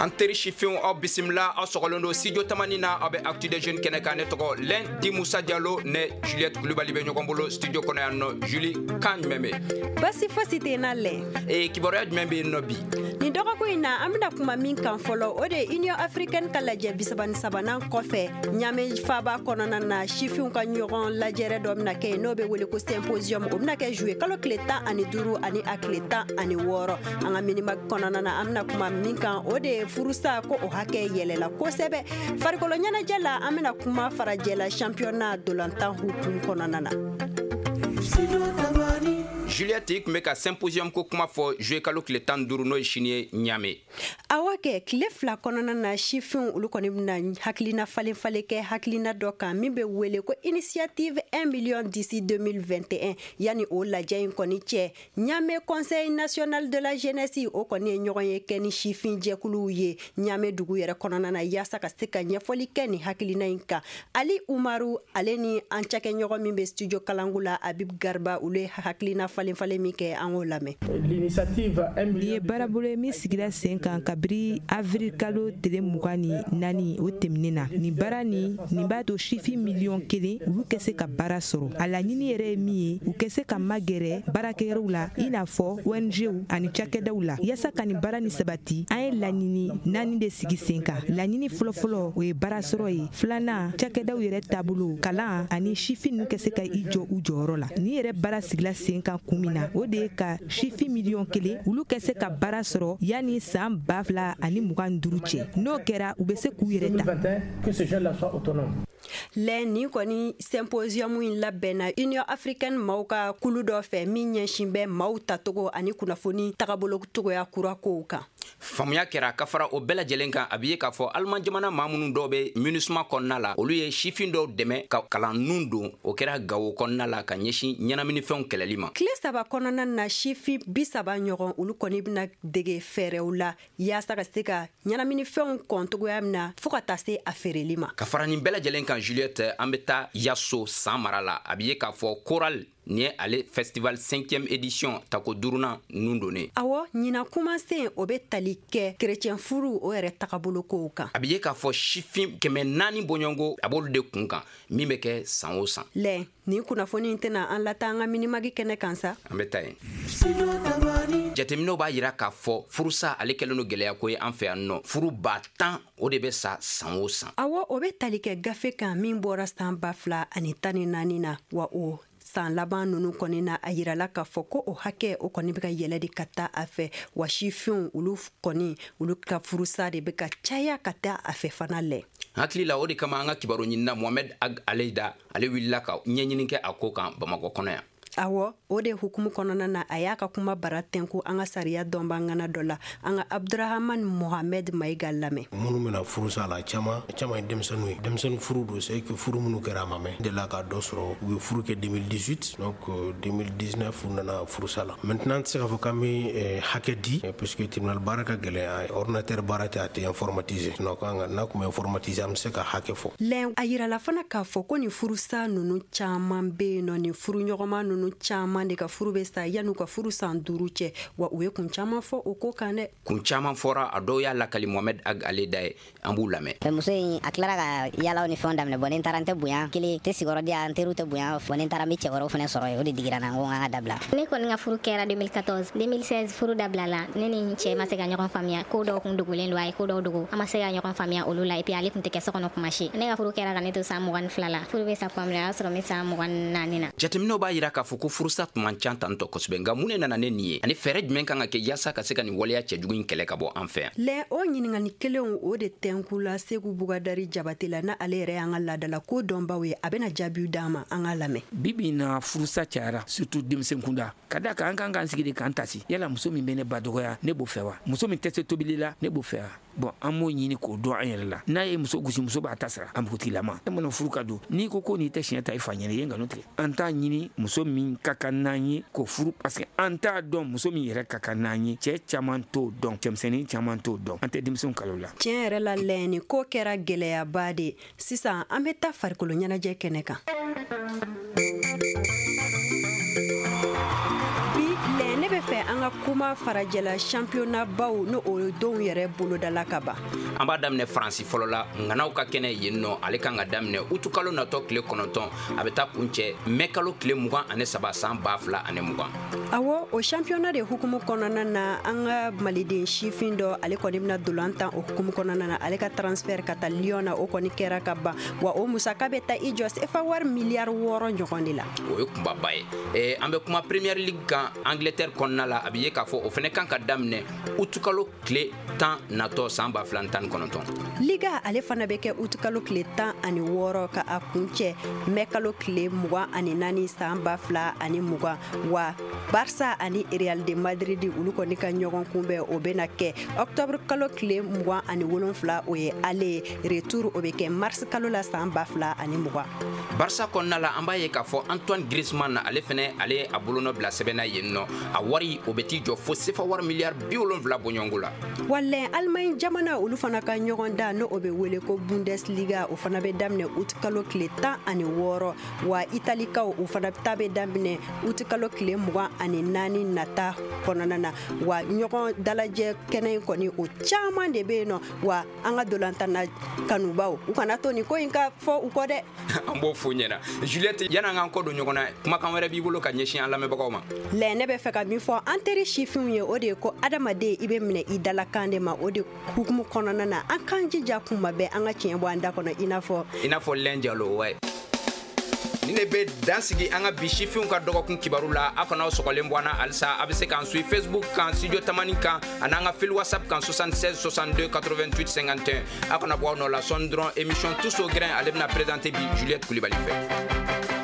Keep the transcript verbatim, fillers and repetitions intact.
An teri sifinw, aw bisimila, aw sɔgɔlen don Studio Tamani na, aw bɛ Actu des Jeunes kɛnɛ kan. Ne tɔgɔ Lundi Musa Jalo, ne Juliette Kulubali bɛ ɲɔgɔn bolo studio kɔnɔ yan nɔ. Julie, kan jumɛn bɛ? Basi fosi tɛ na lɛ. Ee, kibaruya jumɛn bɛ yen nɔ bi? Nin dɔgɔkun in na, an bɛna kuma min kan fɔlɔ, o de ye Union africaine ka lajɛ bisaba ni sabanan kɔfɛ, Ɲame faaba kɔnɔna na, sifinw ka ɲɔgɔn lajɛrɛ dɔ bɛna kɛ yen, n'o bɛ wele ko symposium. O bɛna kɛ juillet kalo tile tan ani duuru ani a tile tan ani wɔɔrɔ. An ka minima kɔnɔna na, an bɛna kuma min kan, o de ye furusa ko o hakɛ yɛlɛla kosɛbɛ. Farikolo ɲɛnajɛ la, an bɛna kuma farajɛla championnat dolantan hukumu kɔnɔna na. Juliette, i tun bɛ ka symposium ko kuma fɔ, juillet kalo tile tan duuru, n'o ye sini ye, Ɲame. Awɔ kɛ, tile fila kɔnɔna na, sifinw olu kɔni bɛna hakilina falen falen kɛ hakilina dɔ kan min bɛ wele ko initiative un million d'ici deux mille vingt et un. Yanni o lajɛ in kɔni cɛ, Ɲame Conseil national de la jeunesse, o kɔni ye ɲɔgɔn ye kɛ ni sifin jɛkuluw ye Ɲame dugu yɛrɛ kɔnɔna na, yaasa ka se ka ɲɛfɔli kɛ nin hakilina in kan. Ali Umaru, ale ni an cakɛɲɔgɔn min bɛ studio Kalangu la, Abib Garba, olu ye hakilina falen falen min kɛ, an k'o lamɛn. Nin ye baarabolo ye min sigira sen kan kabiri avril kalo tile mugan ni naani, o tɛmɛnen na. Nin baara nin nin b'a to sifin miliyɔn kelen olu kɛ se ka baara sɔrɔ. A laɲini yɛrɛ ye min ye, u kɛ se ka magɛrɛ baarakɛyɔrɔw la, i n'a fɔ O N Gw ani cakɛdaw la. Yaasa ka nin baara ni sabati, an ye laɲini naani de sigi sen kan. Laɲini fɔlɔfɔlɔ, o ye baara sɔrɔ ye. Filanan, cakɛdaw yɛrɛ taabolo, kalan ani sifin ninnu kɛ se ka i jɔ u jɔyɔrɔ la. Nin yɛrɛ baara sigila sen kan kun min na, o de ye ka sifin miliyɔn kelen olu kɛ se ka baara sɔrɔ yanni san ba fila ani mugan duuru cɛ. N'o kɛra, u bɛ se k'u yɛrɛ ta. Lɛ, nin kɔni symposium in labɛnna Union africaine maaw ka kulu dɔ fɛ min ɲɛsin bɛ maaw tacogo ani kunnafoni tagabolo cogoya kura kow kan. Faamuya kɛra. Ka fara o bɛɛ lajɛlen kan, a bɛ ye k'a fɔ Aliman jamana maa minnu dɔw bɛ MINUSMA kɔnɔna la, olu ye sifin dɔw dɛmɛ ka kalan nun don. O kɛra Gawo kɔnɔna la, ka ɲɛsin ɲɛnaminifɛnw kɛlɛli ma. Tile saba kɔnɔna na, sifin bi saba ɲɔgɔn, olu kɔni bɛna dege fɛɛrɛw la yaasa ka se ka ɲɛnaminifɛnw kɔn cogoya min na, fɔɔ ka taa se a feereli ma. Ka fara nin bɛɛ lajɛlen kan, Juliette, an bɛ taa Yaso san mara la. A bɛ ye k'a fɔ Choral, nin ye ale festival cinquième édition, tako duurunan nun donnen. Awɔ, ɲinan kumasen, o bɛ tali kɛ kerecɛn furu, o yɛrɛ tagabolo kow kan. A bɛ ye k'a fɔ sifin kɛmɛ naani bɔɲɔgɔnko, a b'olu de kun kan, min bɛ kɛ san o san. Lɛ, nin kunnafoni in tɛna an lata an ka minimagi kɛnɛ kan sa. An bɛ taa yen. Jateminɛw b'a yira k'a fɔ furusa, ale kɛlen don gɛlɛya ko ye an fɛ yan nɔ. Furu ba tan, o de bɛ sa san o san. Awɔ, o bɛ tali kɛ gafe kan min bɔra san ba fila ani tan ni naani na. Wa o san laban nunu kɔni na, a yirala k'a fɔ ko o hakɛ, o kɔni bɛ ka yɛlɛ de ka taa a fɛ. Wa sifinw olu kɔni, olu ka furusa de bɛ ka caya ka taa a fɛ fana lɛ. Hakili la, o de kama an ka kibaru ɲinina Mohamɛd Ag Aleyida, ale wulila ka ɲɛɲini kɛ a ko kan Bamakɔ kɔnɔ yan. Awɔ, o de hukumu kɔnɔna na, a y'a ka kuma bara tɛnku an ka sariya dɔnbangana dɔ la. An ka Abdurahaman Mohamɛd Mayiga lamɛn. Minnu bɛna furusa la, caman caman ye denmisɛnninw ye. Denmisɛnnin furu don, c'est que furu minnu kɛra, a ma mɛn delila ka dɔ sɔrɔ. U ye furu kɛ deux mille dix-huit, donc deux mille dix-neuf u nana furusa la. Maintenant, an tɛ se k'a fɔ k'an bɛ hakɛ di, puisque tribunal baara ka gɛlɛn, ordinateur baara tɛ, a tɛ informatisé. Sinon kan ka n'a tun bɛ informatisé, an bɛ se ka hakɛ fɔ. Lɛ, a yirala fana k'a fɔ ko nin furusa ninnu caman bɛ yen nɔ, nin furuɲɔgɔnma ninnu caman de ka furu bɛ sa yan'u ka furu san duuru cɛ. Wa u ye kun caman fɔ o ko kan dɛ. Kun caman fɔra, a dɔw y'a lakali Mohamɛd Ag Aleda ye, an b'u lamɛn. Muso in, a tilara ka yalaw ni fɛnw daminɛ. Bon, ni n taara, n tɛ bonya kelen tɛ sigiyɔrɔ di yan, n teriw tɛ bonya. Bon, ni n taara, n bɛ cɛ wɛrɛw fana sɔrɔ yen. O de digira n na, n ko n ka dabila. Ne kɔni ka furu kɛra deux mille quatorze. deux mille seize furu dabilala. Ne ni n cɛ ma se ka ɲɔgɔn faamuya. Ko dɔw kun dogolen don, a ye ko dɔw dogo, an ma se ka ɲɔgɔn faamuya olu la. Et puis ale kun tɛ kɛ so kɔnɔ kuma si. Ne ka furu kɛra ka ne to san mugan ni fila la. Furu bɛ sa tuma min na, o y'a sɔrɔ n bɛ san mugan ni naani na. Jateminɛw b'a yira k'a fɔ ko furusa tun man ca tantɔ kosɛbɛ. Nka mun de nana ne nin ye, ani fɛɛrɛ jumɛn kan ka kɛ yaasa ka se ka nin waleya cɛjugu in kɛlɛ ka bɔ an fɛ yan? Lɛ, o ɲininkali kelenw, o de tɛnkula Segu Bugadari Jabate la, na ale yɛrɛ y'an ka laadala ko dɔnbaw ye. A bɛna jaabiw d'an ma, an ka lamɛn. Bibi na, furusa cayara, surtout denmisɛn kunda. Ka da kan, an kan k'an sigi de k'an tasi: yala muso min bɛ ne ba dɔgɔya, ne b'o fɛ wa? Muso min tɛ se tobili la, ne b'o fɛ wa? Bon, an b'o ɲini k'o dɔn an yɛrɛ la. N'a ye muso gosi, muso b'a ta sara. A npogotigilama, e mana furu ka don, n'i ko ko n'i tɛ siɲɛ ta i fa ɲɛna, i ye nkalon tigɛ. An t'a ɲini muso min ka kan n'an ye k'o furu, parce que an t'a dɔn muso min yɛrɛ ka kan n'an ye. Cɛ caman t'o dɔn, cɛmisɛnnin caman t'o dɔn. An tɛ denmisɛnw kalo la. Tiɲɛ yɛrɛ la lɛ, nin ko kɛra gɛlɛyaba de. Sisan, an bɛ taa farikolo ɲɛnajɛ kɛnɛ kan. Bi lɛ, ne bɛ fɛ an ka kuma kuma farajɛla championnat baw n'o o donw yɛrɛ bolodala ka ban. An b'a daminɛ Faransi fɔlɔ la, ŋanaw ka kɛnɛ yen nɔ, ale kan ka daminɛ utukalo natɔ tile kɔnɔntɔn, a bɛ taa kuncɛ mɛ kalo tile mugan ani saba san ba fila ani mugan. Awɔ, o championnat de hukumu kɔnɔna na, an ka maliden sifin dɔ, ale kɔni bɛna dolan tan o hukumu kɔnɔna na. Ale ka transfert ka taa Lyon na, o kɔni kɛra ka ban, wa o musaka bɛ taa i jɔ sefa wari miliyari wɔɔrɔ ɲɔgɔn de la. O ye kunbaba ye. eh, an bɛ kuma Premier League kan Angleterre kɔnɔna la, a bɛ ye k'a fɔ o fana kan ka daminɛ utukalo tile tan natɔ san ba fila tan ni kɔnɔntɔn. Liga ale fana bɛ kɛ utukalo tile tan ani wɔɔrɔ ka a kuncɛ mɛ kalo tile mugan ani naani san ba fila ani mugan. Wa Barça ani Real de Madrid, olu kɔni ka ɲɔgɔn kunbɛn, o bɛna kɛ octobre kalo tile mugan ani wolonfila, o ye aller, retour o bɛ kɛ mars kalo la san ba fila ani mugan. Barça kɔnɔna la, an b'a ye k'a fɔ Antoine Griezmann, ale fɛnɛ ale a bolonɔ bila sɛbɛnna yen nɔ, a wari o bɛ t'i jɔ fo sefa wari miliyari bi wolonfila bɔɲɔgɔnko la. Walɛn Allemagne jamana, olu fana ka ɲɔgɔn da n'o o bɛ wele ko Bundesliga, o fana bɛ daminɛ août kalo tile tan ani wɔɔrɔ. Wa Italikaw, o fana ta bɛ daminɛ août kalo tile mugan ani naani nata kɔnɔna na. Wa ɲɔgɔn dalajɛ kɛnɛ in kɔni, o caman de bɛ yen nɔ. Wa an ka dolantanna kanubaw, u kana to nin ko in ka fɔ u kɔ dɛ. An b'o fo ɲɛna. Juliette, yan'an k'an kɔ don ɲɔgɔn na, kumakan wɛrɛ b'i bolo ka ɲɛsin an lamɛnbagaw ma? Lɛ, ne bɛ fɛ ka min fɔ an teri sifinw ye, o de ye ko adamaden, i bɛ minɛ i dalakan de ma. O de hukumu kɔnɔna na, an k'an jija kuma bɛɛ an ka tiɲɛ bɔ an da kɔnɔ, i n'a fɔ i n'a fɔ Lɛn Jalo wa. Ni ne bɛ dan sigi an ka bi sifinw ka dɔgɔkun kibaru la. Aw kana aw sɔgɔlen bɔ an na halisa. A bɛ se k'an suit Facebook kan, Studio Tamani kan, ani an ka fil WhatsApp kan, soixante-seize soixante-deux quatre-vingt-huit cinquante et un. Aw kana bɔ aw nɔ la. Sɔɔni dɔrɔn, émission Tous au grain, ale bɛna présenter bi Juliette Kulibali fɛ.